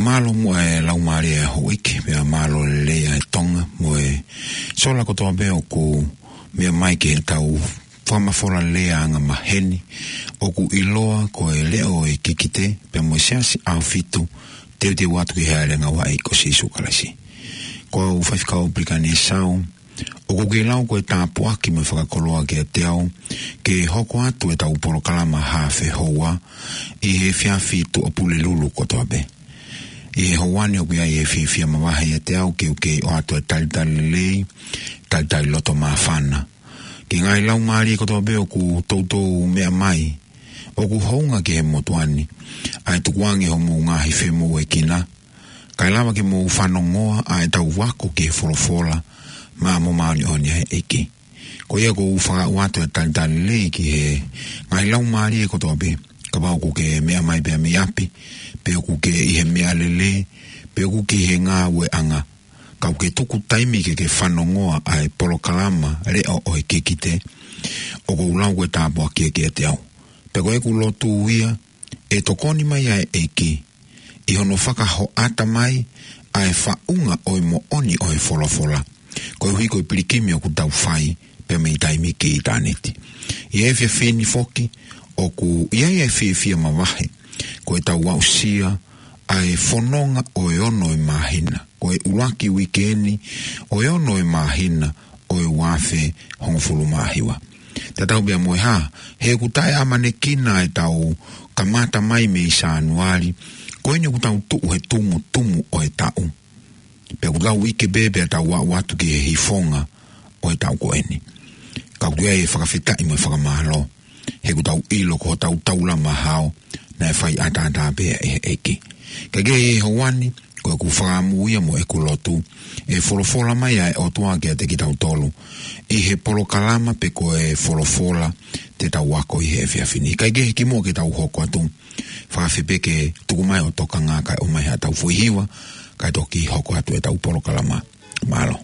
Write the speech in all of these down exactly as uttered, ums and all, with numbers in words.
Mālō muʻa e Laumālie ʻa Houʻeiki, pea mālō lelei ʻa e Tonga mo e sola kotoa pē ʻoku meʻa mai ki heʻetau fakamafola lea angamaheni ʻoku ʻiloa ko e Leʻo ʻo e Kikite, pea mo e Siasi ʻAhofitu, teuteu atu ki he Hāʻele Ngāue ʻa e ʻEiki ko Sīsū Kalaisi. Ko au Faifekau Pilikani Esau, ʻoku ou kei lau ko e tāpuaki mo e fakakoloa kiate au ke hoko atu ʻetau polokalama Haafe Houa ʻi he efiafi Tuʻapulelulu kotoa pē. ʻI he houa ni ʻoku ʻi ai e fiefia mavahe ʻiate au ke u kei ʻoatu e talitali lelei, talitali loto māfana ki he ngaahi laumālie kotoa pē ʻoku toutou meʻa mai, ʻoku hounga ki he motuʻa ni ʻa e tukuange hoʻomou ngaahi femoʻuekina, kae lava ke mou fanongoa ʻa ʻetau ako ki he folofola maʻa mo māʻoniʻoni ʻa e ʻEiki. Ko ia ʻoku ou fakaʻau atu e talitali lelei ki he ngaahi laumālie kotoa pē, kapau ʻoku ke meʻa mai pē mei ʻapi, pe ʻoku ke ʻi he meʻalele, pe ʻoku ke ʻi he ngāueʻanga, ka ʻoku ke tuku taimi ke ke fanongoa ʻa e polokalama Leʻo ʻo e Kikite, ʻoku ou lau ko e tāpuaki kiate au. Pea ko ʻeku lotu ia, ʻe tokoni mai ʻa e ʻEiki ʻi hono fakahoʻata mai ʻa e faʻunga ʻo e moʻoni ʻo e folofola, koeʻuhi ko e pilikimi ʻoku tau fai pea mei taimi ki ʻitāniti. ʻI he efiafi ni foki, ʻoku ʻi ai e fiefia mavahe ko ʻetau aʻusia ʻa e fononga ʻo e ono ʻo e māhina, ko e ʻuluaki uike ni ʻo e ono ʻo e māhina ʻo e ua afe hongofulu mā hiva. Tatau pea mo e hā, he ʻoku taʻeʻamanekina ʻetau kamata mai mei Sānuali, ko eni ʻoku tau tuʻu he tumutumu ʻo e taʻu. Pea ʻoku tau ʻi he pē pea tau aʻu atu ki he hifonga ʻo e taʻu ko eni. Ka ʻoku ʻi ai e fakafetaʻi mo e fakamālō, he ʻoku tau ʻilo ko hotau taulama hao, naʻe fai ʻataʻatā pē ʻe he ʻEiki. Ka ʻi he houa ni, ko ʻeku fakaʻamu ia mo ʻeku lotu, ʻe folofola mai ʻa e ʻOtua kiate kitautolu ʻi he polokalama pe ko e folofola te tau ako ʻi he efiafi ni. Ka ʻi he kimuʻa ke tau hoko atu, fakaafeʻi pē ke tuku mai hoʻo tokanga kae ʻomai haʻatau foʻi hiva, kae toki hoko atu ʻetau polokalama. Mālō.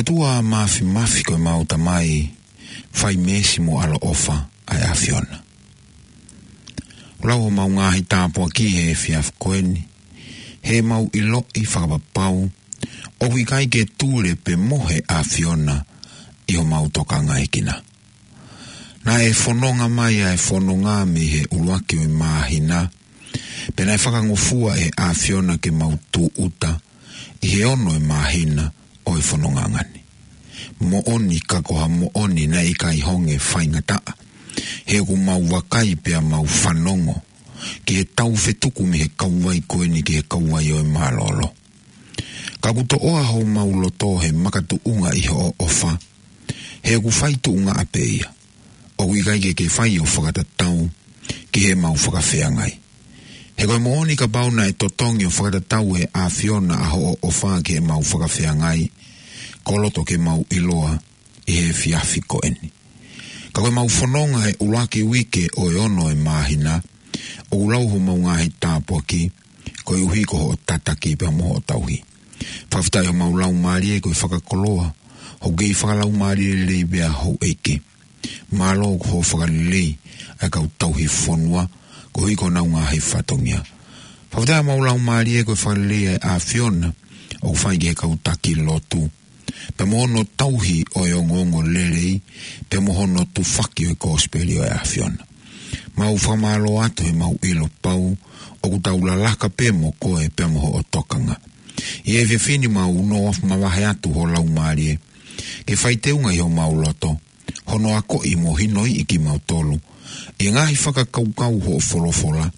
ʻOtua Māfimafi ko ʻemau Tamai, fai meesi mo ʻaloʻofa ʻa e ʻAfiona. ʻOku lau homau ngaahi tāpuaki he efiafi ko eni, heʻemau ʻiloʻi fakapapau ʻoku ʻikai ke tule pe mohe ʻa e ʻAfiona ʻi homau tokangaekina. Naʻe fononga mai ʻa e fononga mei he ʻuluaki ʻo e māhina, pea naʻe fakangofua ʻe he ʻAfiona ke mau tūʻuta ʻi he ono ʻo e māhina ʻo e fononga ngani. Moʻoni ka ko ha moʻoni naʻe ʻikai honge faingataʻa, he ʻoku mau vakai pea mau fanongo ki he taufetuku mei he kauvai ko eni ki he kauvai ʻo e mālōlō. Ka ʻoku toʻoa homau loto he makatuʻunga ʻi hoʻo ʻofa, he ʻoku fai tuʻungaʻa pē ia. ʻOku ʻikai ke ke fai ʻo fakatatau ki heʻemau fakafeangai. He ko e moʻoni kapau naʻe totongi ʻo fakatatau ʻe he ʻAfiona ʻa hoʻo ʻofa ki heʻemau fakafeangai, koloto ke mau ʻiloa ʻi he efiafi ko eni. Ka ko ʻemau fononga he ʻuluaki uike ʻo e ono ʻo e māhina, ʻoku lau homau ngaahi tāpuaki, koeʻuhi ko hoʻo tataki pea mo hoʻo tauhi. Fakafetaʻi homau laumālie ko e fakakoloa hoʻo kei fakalaumālie lelei pea houʻeiki. Mālō ko hoʻo fakalelei ʻa e kau tauhi fonua, koeʻuhi ko honau ngaahi fatongia. Fakafetaʻi homau laumālie ko e fakalelei ʻa e ʻAfiona ʻoku fai ki he kau taki lotu, pea mo hono tauhi ʻo e ongoongo lelei, pea mo hono tufaki ʻo e kosipeli ʻo e ʻAfiona. Mau fakamālō atu he mau ʻilo pau ʻoku tau lalaka pē mo koe pea mo hoʻo tokanga. ʻI he efiafi ni mau nofo mavahe atu ho laumālie ke fai teunga ʻi homau loto, hono akoʻi mo hinoiʻi kimautolu ʻi he ngaahi fakakaukau hoʻo folofola,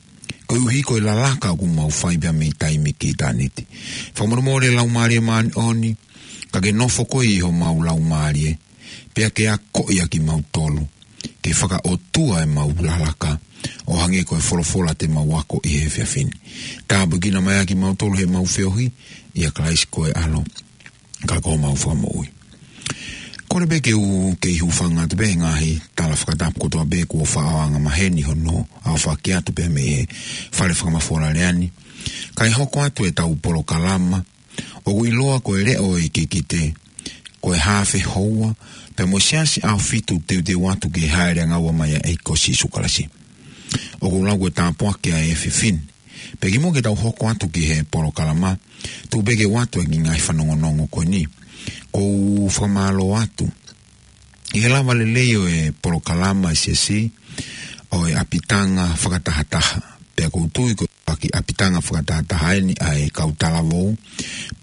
koeʻuhi ko e lalaka ʻoku mau fai pea mei taimi ki ʻitāniti. Fakamolemole Laumālie Māʻoniʻoni, ka ke nofo koe ʻi homau laumālie, pea ke akoʻi ʻa kimautolu ke fakaʻotua ʻemau lalaka, ʻo hangē ko e folofola te mau ako ʻi he efiafi ni. Tāpuekina mai ʻa kimautolu heʻemau feohi ʻia Kalaisi ko e ʻAlo ka ko homau Fakamoʻui. Kole pē ke u kei hūfanga atu pē he ngaahi tala fakatapu kotoa pē kuo faʻa anga maheni hono aofaki atu pē mei he fale fakamafola lea ni. Kae hoko atu ʻetau polokalama, ʻoku ʻiloa ko e Leʻo ʻo e Kikite, ko e haafe houa, pea mo e Siasi ʻAhofitu teuteu atu ke hāʻele angaua mai ʻa e ʻEiki ko Sīsū Kalaisi. ʻOku lau ko e tāpuaki ʻa e efiafi ni. Pea kimuʻa ke tau hoko atu ki he polokalama, tuku pē ke u ʻoatu ʻa e ngaahi fanongonongo ko eni. ʻOku ou fakamālō atu ʻi he lava lelei ʻo e polokalama ʻa e Siasi ʻo e ʻapitanga fakatahataha. Pea ʻoku ou tui ko e ʻuluaki ʻapitanga fakatahataha eni ʻa e kau talavou,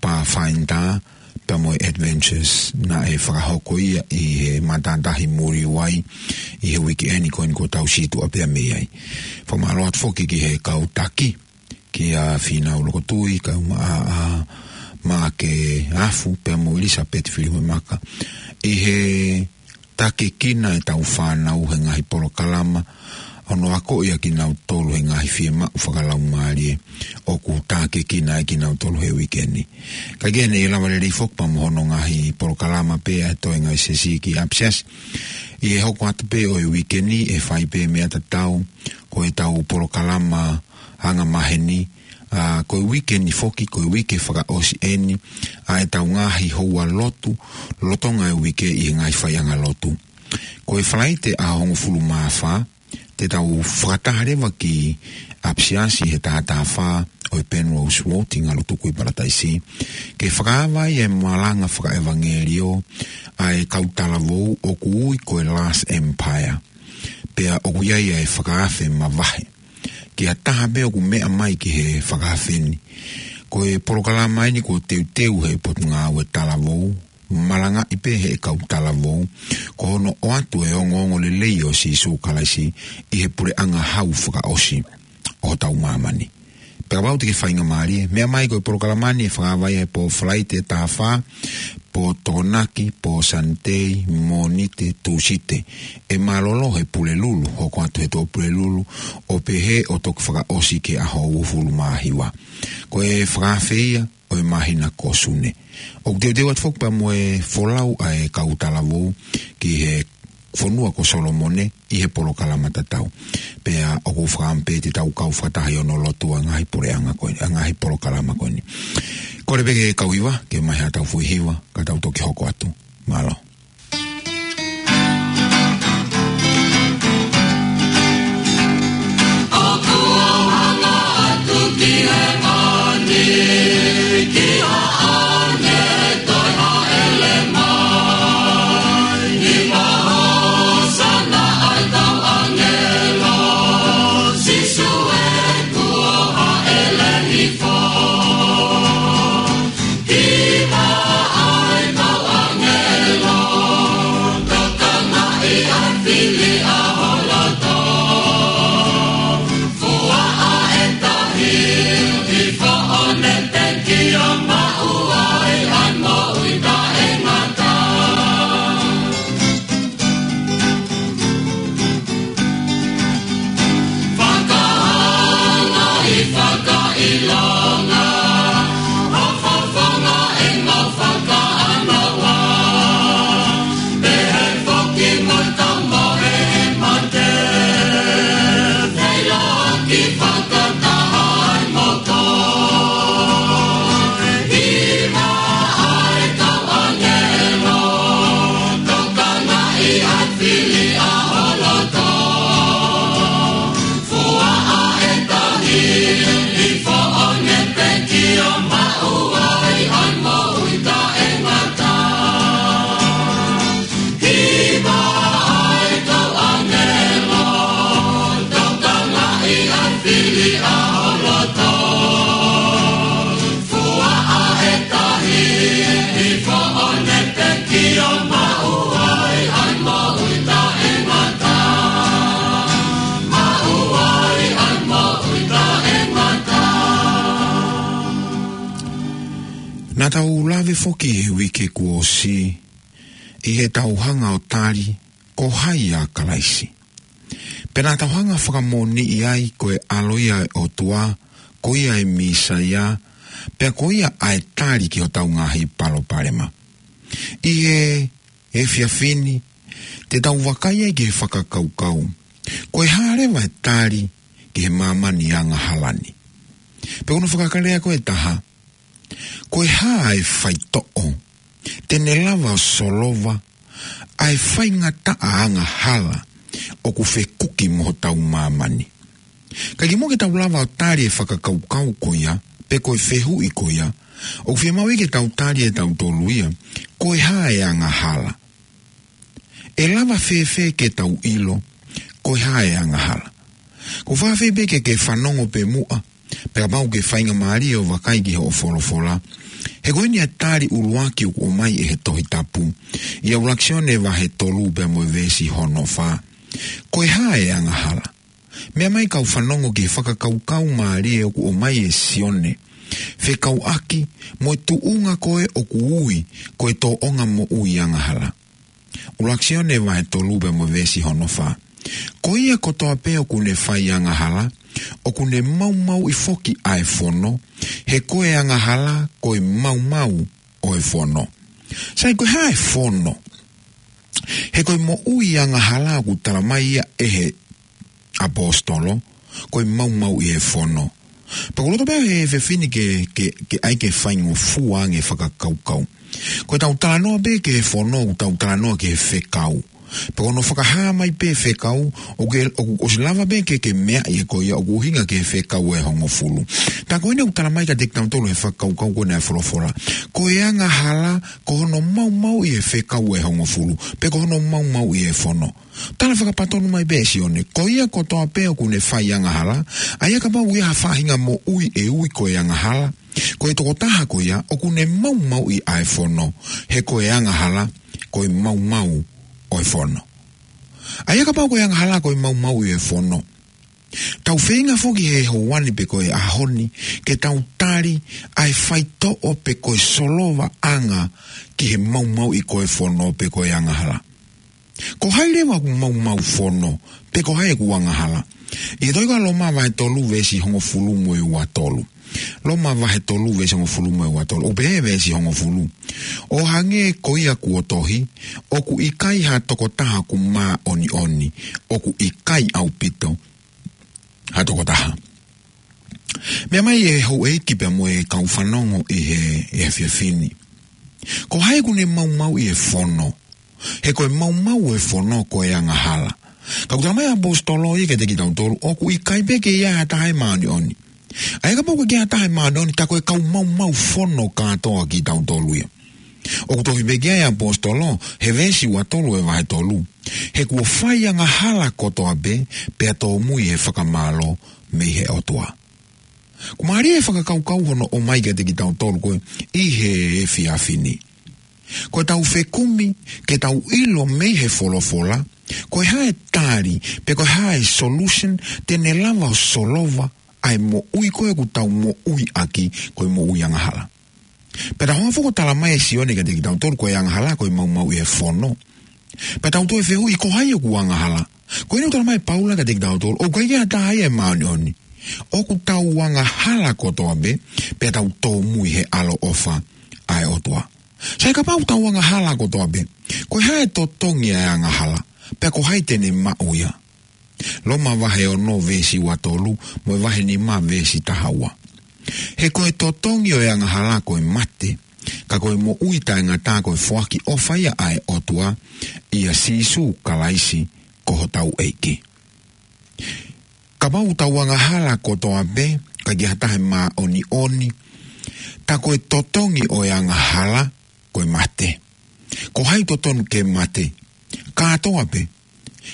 Pathfinder, pea mo e Adventures, naʻe fakahoko ia ʻi he matātahi Muliwai ʻi he uike eni ko eni kuo tau situʻa pea mei ai. Fakamālō atu foki ki he kau taki, kia Fīnau Lokotui, kau maʻa ʻa Maʻake Afu, pea mo ʻIlisapeti Filimemaka, ʻi he takekina ʻetau fānau he ngaahi polokalama, hono akoʻi ʻa kinautolu he ngaahi fiemaʻu fakalaumālie ʻoku takekina ai kinautolu he uike ni. Kae kehe, naʻe lava lelei foki pea mo hono ngaahi polokalama pē ʻa e toenga ʻo e Siasi ki ʻapisiasi. ʻI he hoko atu pē ʻo e uike ni, ʻe fai pē meʻa tatau, ko ʻetau polokalama anga maheni, ʻa, ko e uike ni foki, ko e uike fakaʻosi eni ʻa ʻetau ngaahi houa lotu lolotonga e uike ʻi he ngaahi faiʻanga lotu. Ko e Falaite ʻaho hongofulu mā fā, te tau fakataha leva ki ʻapisiasi he taha taha fā ʻo e Penrose Road ʻi Ngalutuku ʻi Palataisi, ke fakaava ai e malanga fakaʻevangeliō ʻa e kau talavou ʻoku ui ko e Last Empire. Pea ʻoku ʻi ai ʻa e fakaafe mavahe ki ha taha pē ʻoku meʻa mai ki he fakaafe ni. Ko e polokalama eni kuo teuteu ʻe he Potungāue Talavou, malangaʻi pē ʻe he kau talavou, ko hono ʻoatu e ongoongo lelei ʻo Sīsū Kalaisi ʻi he puleʻanga hau fakaʻosi ʻo hotau māmani. Pea kapau te ke faingamālie, meʻa mai. Ko e polokalama ni ʻe fakaava ia he pō Falaite taha fā, pō Tokonaki, pō Sanitei, Mōnite, Tūsite. ʻE mālōlō he Pulelulu, hoko atu he Tuʻapulelulu, ʻo pehē ʻo toki fakaʻosi ki he ʻaho uofulu mā hiva. Ko e fakaafe ia ʻo e māhina ko Sune. ʻOku teuteu atu foki pea mo e folau ʻa e kau talavou ki he fonua ko Solomone ʻi he polokalama tatau. Pea ʻoku ou fakaʻamu pē te tau kau fakataha ʻi hono lotua ngaahi puleʻanga ko eni, ngaahi polokalama ko eni. Kole pē ki he kau hiva ke ʻomai haʻatau foʻi hiva, ka tau toki hoko atu. Mālō. Naʻa tau lave foki he uike kuo ʻosi ʻi heʻetau hanga ʻo tali ko hai ʻa Kalaisi. Pea naʻa tau hanga ʻo fakamoʻoniʻi ai ko e ʻAlo ia ʻo e ʻOtua, ko ia e Mīsaia, pea ko ia ʻa e tali ki hotau ngaahi palopalema. ʻI he efiafi ni, te tau vakai ai ki he fakakaukau, ko e hā leva e tali ki he māmani angahala ni. Pea ko hono fakalea ko ē ʻe taha, ko e hā e faitoʻo te ne lava ʻo solova ʻa e faingataʻa angahala ʻoku fekuki mo hotau māmani. Ka kimuʻa ke tau lava ʻo tali e fakakaukau ko ia, pe ko e fehuʻi ko ia, ʻoku fiemaʻu ke tau tali ʻe tautolu ia, ko e hā e angahala? ʻE lava fēfē ke tau ʻilo ko e hā e angahala? ʻOku ou fakaafeʻi pē ke ke fanongo pē muʻa, pea kapau ʻoku ke faingamālie ʻo vakai ki hoʻo folofola. He ko eni ʻa e tali ʻuluaki ʻoku ʻomai ʻe he Tohi Tapu, ʻia ʻUluaki Sione vahe tolu pea mo e veesi hono fā. Ko e hā e angahala? Meʻa mai kau fanongo ki he fakakaukau mālie ʻoku ʻomai ʻe Sione fekauʻaki mo e tuʻunga ko ē ʻoku ui ko e tōʻonga moʻui angahala. ʻUluaki Sione vahe tolu pea mo e veesi hono fā. Ko ia kotoa pē ʻoku ne fai angahala, ʻoku ne maumauʻi foki ʻa e fono, he ko e angahala ko e maumau ʻo e fono. Sai, ko e hā e fono? He ko e moʻui angahala ʻoku talamai ia ʻe he ʻaposetolo, ko e maumauʻi e fono. Pea ʻoku ou loto pē he efiafi ni ke, ke, ke ʻai ke faingofua ange fakakaukau. Ko ʻetau talanoa pē ki he fono, ʻoku tau talanoa ki he fekau. Pea ko hono fakahā mai pē fekau, ʻoku ke, ʻoku, ʻosi lava pē ke, ke meaʻi ʻe koe ia, ʻoku ʻuhinga ki he fekau ʻe hongofulu. Tā ko eni ʻoku talamai kiate kitautolu he fakakaukau ko eni ʻa e folofola. Ko e angahala, ko hono maumauʻi e fekau ʻe hongofulu, pe ko hono maumauʻi e fono. Tala fakapatonu mai pē ʻe Sione, ko ia kotoa pē ʻoku ne fai angahala, ʻa ia kapau ʻoku ʻi ai ha faʻahinga moʻui ʻe ui ko e angahala, ko e tokotaha ko ia ʻoku ne maumauʻi ʻa e fono, he ko e angahala ko e maumau ʻo e fono. ʻA ia kapau ko e angahala ko e maumauʻi e fono, tau feinga foki he houa ni pe ko e ʻaho ni ke tau tali ʻa e faitoʻo pe ko e solovaʻanga ki he maumauʻi ko e fono pe ko e angahala. Ko hai leva ʻoku maumau fono, pe ko hai ʻoku angahala? ʻI he tohi ko ia Loma vahe tolu veesi hongofulu mo e ua tolu. Loma vahe tolu veesi hongofulu mo e ua tolu. ʻOku pehē veesi hongofulu: ʻO hangē ko ia kuo tohi, ʻoku ʻikai ha tokotaha ʻoku māʻoniʻoni, ʻoku ʻikai ʻaupito ha tokotaha. Meʻa mai e houʻeiki pea mo e kau fanongo ʻi he, he efiafi ni. Ko hai ʻoku ne maumauʻi e fono? He ko e maumau e fono ko e angahala. Ka ʻoku tala mai ʻaposetolo ia kiate kitautolu, ʻoku ʻikai pē ke ʻi ai ha taha ʻe māʻoniʻoni. ʻA ia kapau ʻoku ʻikai ke ʻi ai ha taha ʻe māʻoniʻoni, tā ko e kau maumau fono kātoa kitautolu ia. ʻOku tohi pē ki ai ʻaposetolo, he veesi ua tolu e vahe tolu: He kuo fai angahala kotoa pē, pea tōmui he fakamālō mei he ʻOtua. ʻOku mālie e fakakaukau hono ʻomai kiate kitautolu ko ē ʻi he efiafi ni. Ko ʻetau fekumi ke tau ʻilo mei he folofola, ko e hā e tali, pe ko e hā e solution te ne lava ʻo solova ʻa e moʻui ko ē ʻoku tau moʻui ʻaki, ko e moʻui angahala. Pea tau hanga foki ʻo tala mai ʻe Sione kiate kitautolu ko e angahala ko e maumauʻi e fono. Pea tau toe fehuʻi ko hai ʻoku angahala. Ko eni ʻoku tala mai ʻe Paula kiate kitautolu, ʻoku ʻikai ke ʻi ai ha taha ia ʻe māʻoniʻoni. ʻOku tau angahala kotoa pē, pea tau tōmui he ʻaloʻofa ʻa e ʻOtua. Sai, kapau ʻoku tau angahala kotoa pē, ko e hā e totongi ʻa e angahala, pea ko hai te ne maʻu ia? Loma vahe ono veesi ua tolu, mo e vahe nima veesi taha ua. He ko e totongi ʻo e angahala ko e mate, ka ko e moʻui taʻengata ko e foaki ʻofa ia ʻa e ʻOtua ʻia Sīsū Kalaisi ko hotau ʻEiki. Kapau ʻoku tau angahala kotoa pē, ʻikai ke ʻi ai ha taha ʻe māʻoniʻoni, tā ko e totongi ʻo e angahala ko e mate. Ko hai ʻoku totonu ke mate? Kātoa pē.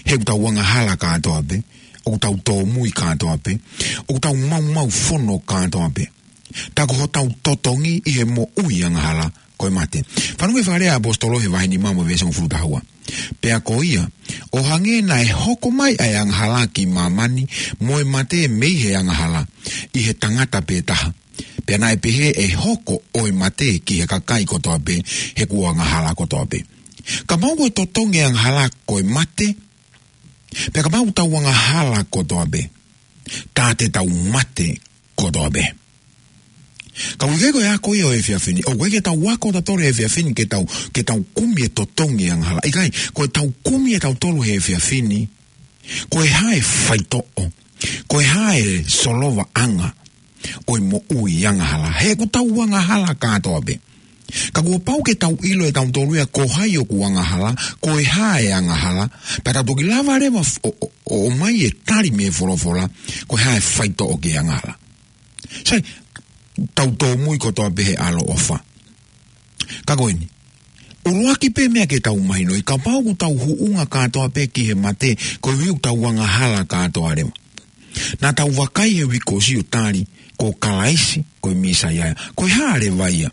He ʻoku tau angahala kātoa pē, ʻoku tau tōmui kātoa pē, ʻoku tau maumau fono kātoa pē. Tā ko hotau totongi ʻi he moʻui angahala ko e mate. Fanongo ki he fakalea ʻaposetolo he vahe nima mo e veesi hongofulu taha ua. Pea ko ia, ʻo hangē naʻe hoko mai ʻa e angahala ki māmani, mo e mate mei he angahala, ʻi he tangata pē taha, pea naʻe pehē ʻe hoko ʻa e mate ki he kakai kotoa pē, he kuo angahala kotoa pē. Kapau ko e totongi e angahala ko e mate, pea kapau ʻoku tau angahala kotoa pē, tā te tau mate kotoa pē. Ka ʻoku ʻikai ko e ako ia ʻo e efiafi ni. ʻOku ʻikai ke tau ako tautolu he efiafi ni ke tau, ke tau kumi e totongi e angahala. ʻIkai, ko ʻetau kumi ʻe tautolu he efiafi ni, ko e hā e faitoʻo, ko e hā e solovaʻanga ʻo e moʻui angahala. He ʻoku tau angahala kātoa pē. Ka kuo pau ke tau ʻilo ʻe tautolu ia ko hai ʻoku angahala, ko e hā e angahala, pea tau toki lava leva f-, ʻo, ʻo, ʻo ʻomai e tali mei he folofola, ko e hā e faitoʻo ki he angahala. Sai, tau tōmui kotoa pē he ʻaloʻofa. Ka ko eni, ʻuluaki pē meʻa ke tau mahinoʻi, kapau ʻoku tau huʻunga kātoa pē ki he mate, koeʻuhi ʻoku tau angahala kātoa leva. Naʻa tau vakai he uike kuo ʻosi ʻo tali, ko Kalaisi ko e Mīsaia. Ko e hā leva ia?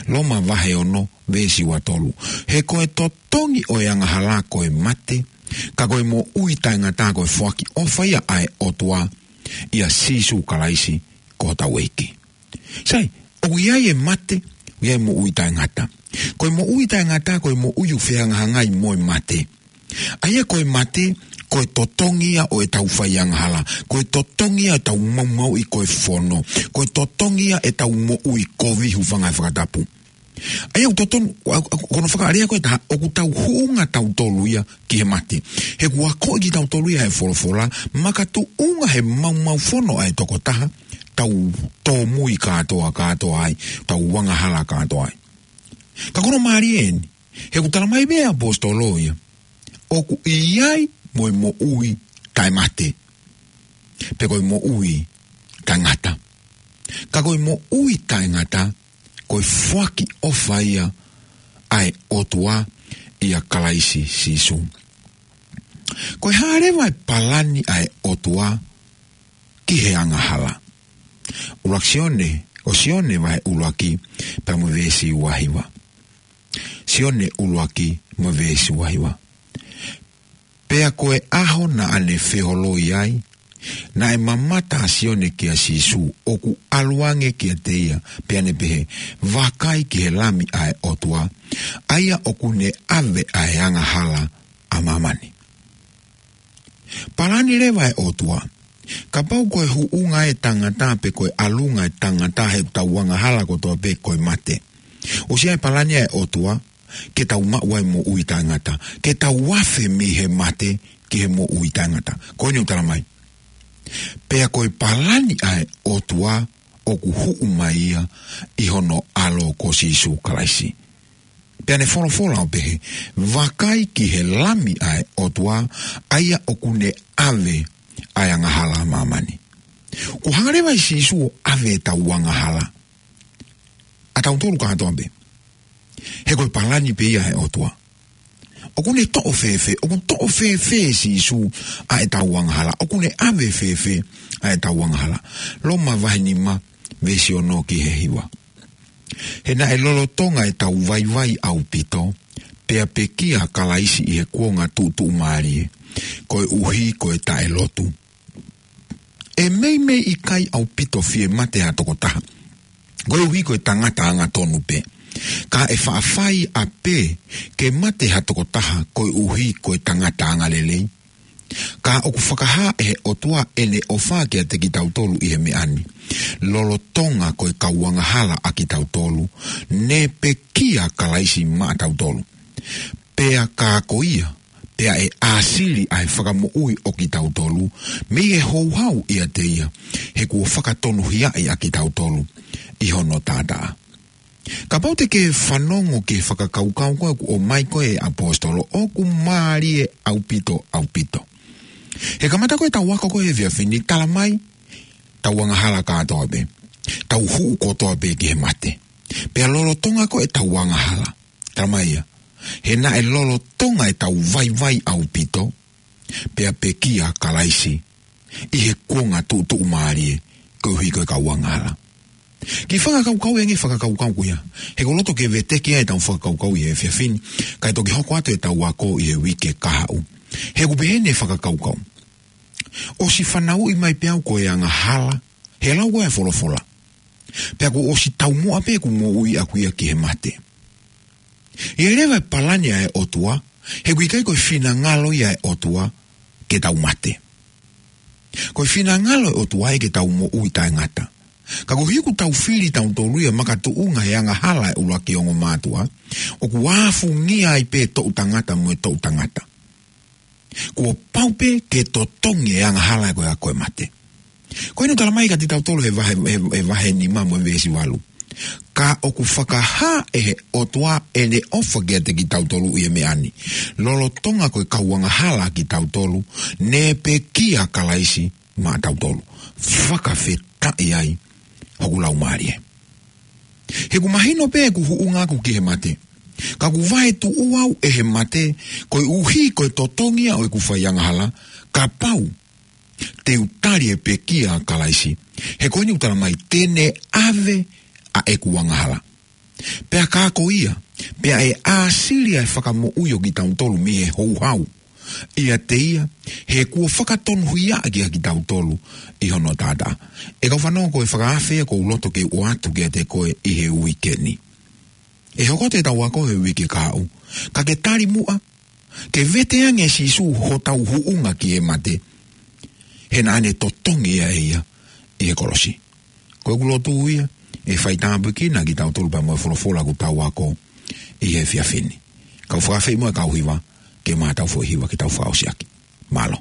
Loma vahe ono, veesi ua tolu. He ko e totongi ʻo e angahala ko e mate, ka ko e moʻui taʻengata ko e foaki ʻofa ia ʻa e ʻOtua ʻia Sīsū Kalaisi ko hotau ʻEiki. Sai, ʻoku ʻi ai e mate, ʻoku ʻi ai e moʻui taʻengata. Ko e moʻui taʻengata, ko e moʻui ʻoku fehangahangai mo e mate. ʻA ia ko e mate, ko e totongi ia ʻo ʻetau fai angahala. Ko e totongi ia ʻetau maumauʻi ko e fono. Ko e totongi ia ʻetau moʻui kovi, hūfanga he fakatapu. ʻA ia ʻoku totonu, ʻa, ʻa, ko hono fakalea ko ē ʻe taha, ʻoku tau huʻunga tautolu ia ki he mate. He kuo akoʻi kitautolu ia he folofola, makatuʻunga he maumau fono ʻa e tokotaha, tau tōmui kātoa, kātoa ai, tau angahala kātoa ai. Ka ko hono mālie eni, he ʻoku tala mai pē ʻe he ʻaposetolo ia, ʻoku ʻi ai mo e moʻui taʻemate, pe ko e moʻui taʻengata. Ka ko e moʻui taʻengata, ko e foaki ʻofa ia ʻa e ʻOtua ʻia Kalaisi Sīsū. Ko e hā leva e palani ʻa e ʻOtua ki he angahala? ʻUluaki Sione, ʻo Sione vahe ʻuluaki, pea mo e veesi ua hiva. Sione ʻuluaki mo e veesi ua hiva. Pea ko e ʻaho naʻa ne feholoi ai, naʻe mamata ʻa Sione kia Sīsū ʻoku ʻalu ange kiate ia, pea ne pehē, Vakai ki he Lami ʻa e ʻOtua, ʻa ia ʻoku ne ʻave ʻa e angahala ʻa māmani. Palani leva ʻa e ʻOtua Kapau ko e huʻunga e tangata pe ko e ʻalunga e tangata he ʻetau angahala kotoa pē ko e mate, ʻosi ʻi ai e palani ʻa e ʻOtua ke tau maʻu ai e moʻui taʻengata, ke tau afe mei he mate ki he moʻui taʻengata. Ko eni ʻoku tala mai: Pea ko e palani ʻa e ʻOtua ʻoku huʻu mai ia ʻi hono ʻAlo ko Sīsū Kalaisi. Pea ne folofola ʻo pehē: Vakai ki he Lami ʻa e ʻOtua, ʻa ia ʻoku ne ʻave ʻa e angahala ʻa māmani. Kuo hanga leva ʻe Sīsū ʻo ʻave ʻetau angahala, ʻa tautolu kātoa pē. He ko e palani pē ia ʻa e ʻOtua. ʻOku ne toʻo fēfē, ʻoku toʻo fēfē ʻe Sīsū ʻa ʻetau angahala? ʻOku ne ʻave fēfē ʻa ʻetau angahala? Loma vahe nima, veesi ono ki he hiva. He naʻe lolotonga ʻetau vaivai ʻaupito, pea pekia ʻa Kalaisi ʻi he kuonga tuʻutuʻumālie, koeʻuhi ko e taʻelotu. ʻE meimei ʻikai ʻaupito fie mate ha tokotaha koeʻuhi ko e tangata angatonu pē, ka ʻe faʻa fai ʻapē ke mate ha tokotaha koeʻuhi ko e tangata angalelei. Ka ʻoku fakahā ʻe he ʻOtua ʻene ʻofa kiate kitautolu ʻi he meʻa ni, lolotonga ko e kau angahala ʻa kitautolu, ne pekia ʻa Kalaisi maʻatautolu. Pea ka ko ia, pea ʻe ʻāsili ʻa e fakamoʻui ʻo kitautolu mei he houhau ʻiate ia, he kuo fakatonuhiaʻi ʻa kitautolu ʻi hono taʻataʻa. Kapau te ke fanongo ki he fakakaukau ko ē ʻoku ʻomai ko ē ʻe he ʻaposetolo, ʻoku mālie ʻaupito, ʻaupito. He kamata ko ē ʻetau ako ko ē he efiafi ni, tala mai, tau angahala kātoa pē, tau huʻu kotoa pē ki he mate. Pea lolotonga ko ē ʻetau angahala, tala mai ia, he naʻe lolotonga ʻetau vaivai ʻaupito, pea pekia ʻa Kalaisi ʻi he kuonga tuʻutuʻumālie, koeʻuhi ko e kau angahala. Kiʻi fakakaukau ange e fakakaukau ko ia, he ʻoku ou loto ke veteki ai ʻetau fakakaukau ʻi he efiafi ni, kae toki hoko atu ʻetau ako ʻi he uike kahaʻu. He ʻoku pehē ʻene fakakaukau: ʻOsi fanauʻi mai pē au ko e angahala he lau ko ē ʻa e folofola. Pea kuo ʻosi taumuʻa pē ʻeku moʻui ʻaʻaku ia ki he mate. ʻI ai leva e palani ʻa e ʻOtua, he ʻoku ʻikai ko e finangalo ia ʻo e ʻOtua ke tau mate. Ko e finangalo ʻo e ʻOtua ia ke tau moʻui taʻengata. Ka koeʻuhi ʻoku tau fili tautolu ia makatuʻunga he angahala ʻa e ʻuluaki ongo mātuʻa, ʻoku ʻafungia ai pē e toʻu tangata mo e toʻu tangata. Kuo pau pē ke totongi e angahala ko ia ko e mate. Ko eni ʻoku tala mai kiate kitautolu he vahe, he, he vahe nima mo e veesi valu: Ka ʻoku fakahā ʻe he ʻOtua ʻene ʻofa kiate kitautolu ʻi he meʻa ni, lolotonga ko e kau angahala ʻa kitautolu, ne pekia ʻa Kalaisi maʻatautolu. Fakafetaʻi ai hoku laumālie. He ʻoku mahino pē ʻeku huʻunga ʻaʻaku ki he mate. Ka ʻoku vaetuʻu au ʻe he mate, koeʻuhi ko e totongi ia ʻo ʻeku fai angahala, kapau te u tali e pekia ʻa Kalaisi. He ko eni ʻoku tala mai te ne ʻave ʻa ʻeku angahala. Pea ka ko ia, pea ʻe ʻāsili ʻa e fakamoʻui ʻo kitautolu mei he houhau ʻiate ia, he kuo fakatonuhiaʻi ʻa kitautolu ʻi hono taʻataʻa. ʻE kau fanongo, ko e fakaafe ia ʻoku ou loto ke u ʻoatu kiate koe ʻi he uike ni. ʻE hoko atu ʻetau ako he uike kahaʻu. Ka ke tali muʻa, ke vete ange ʻe Sīsū hotau huʻunga ki he mate, he naʻa ne totongi ia ʻe ia ʻi he kolosi. Ko ʻeku lotu ia, ʻe faitāpuekina kitautolu pea mo e folofola ʻoku tau ako ʻi he efiafi ni. Kau fakaafeʻi muʻa e kau hiva ke maʻu haʻatau foʻi hiva ke tau fakaʻosi ʻaki. Mālō.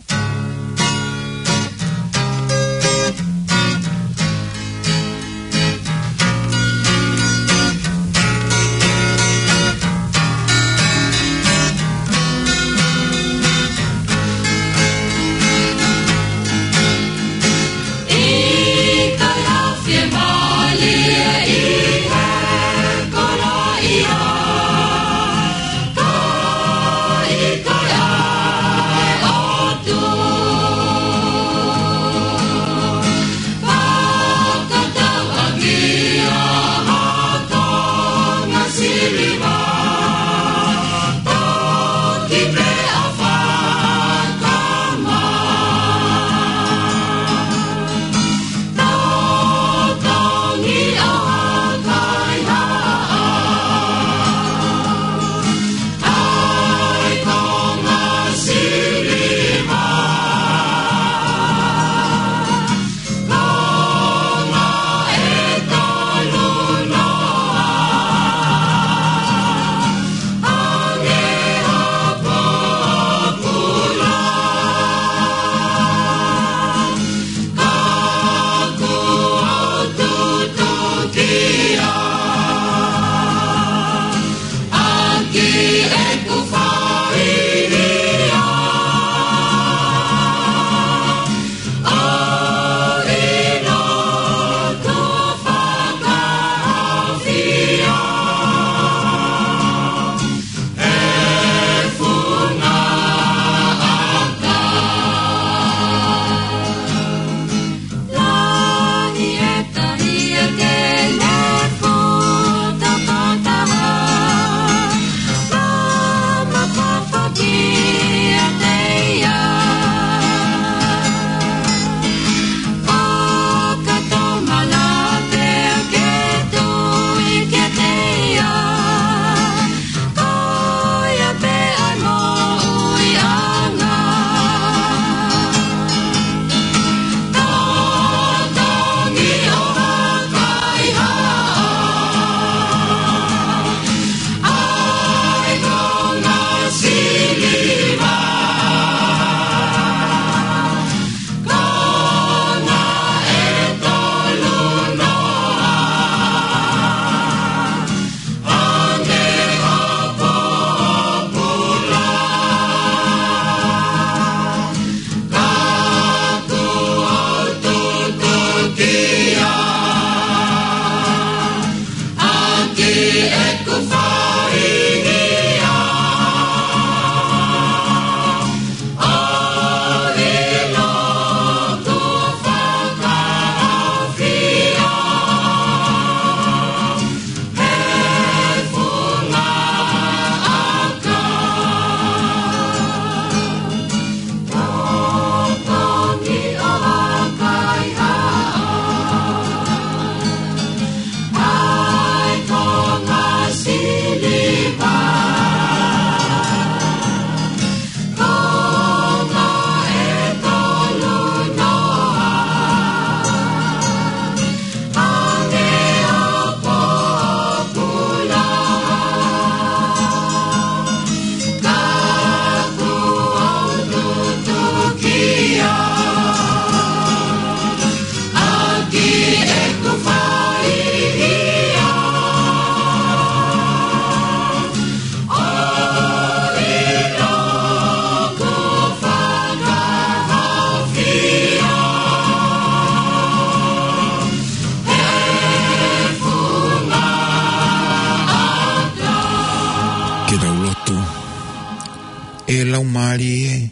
Mālie,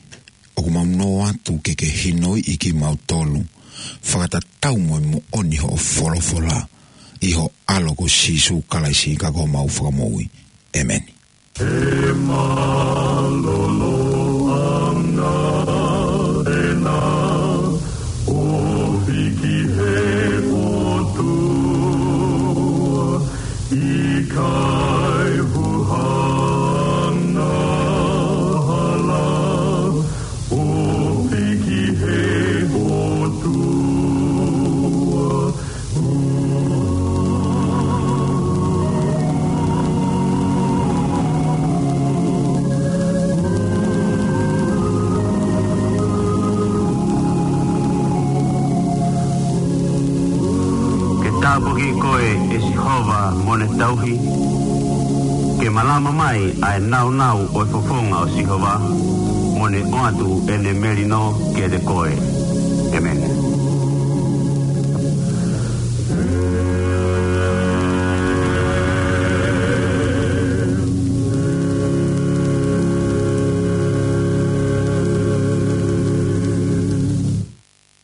ʻoku mau nō atu ke ke hinoiʻi kimautolu, fakatatau mo e moʻoni hoʻo folofola, ʻi ho ʻAlo ko Sīsū Kalaisi ka ko homau Fakamoʻui. ʻEmeni. ʻE mālōlō ʻa e ngāue ʻa e ʻOtua, ʻikai huʻa angahala, ʻofa ki he ʻOtua. Ke tāpuakiʻi koe ʻe Sihova mo ne tauhi. Ke malama mai ʻa e nāunau ʻo e fofonga ʻo Sihova, mo ne ʻoatu ʻene melino kiate koe. ʻEmeni.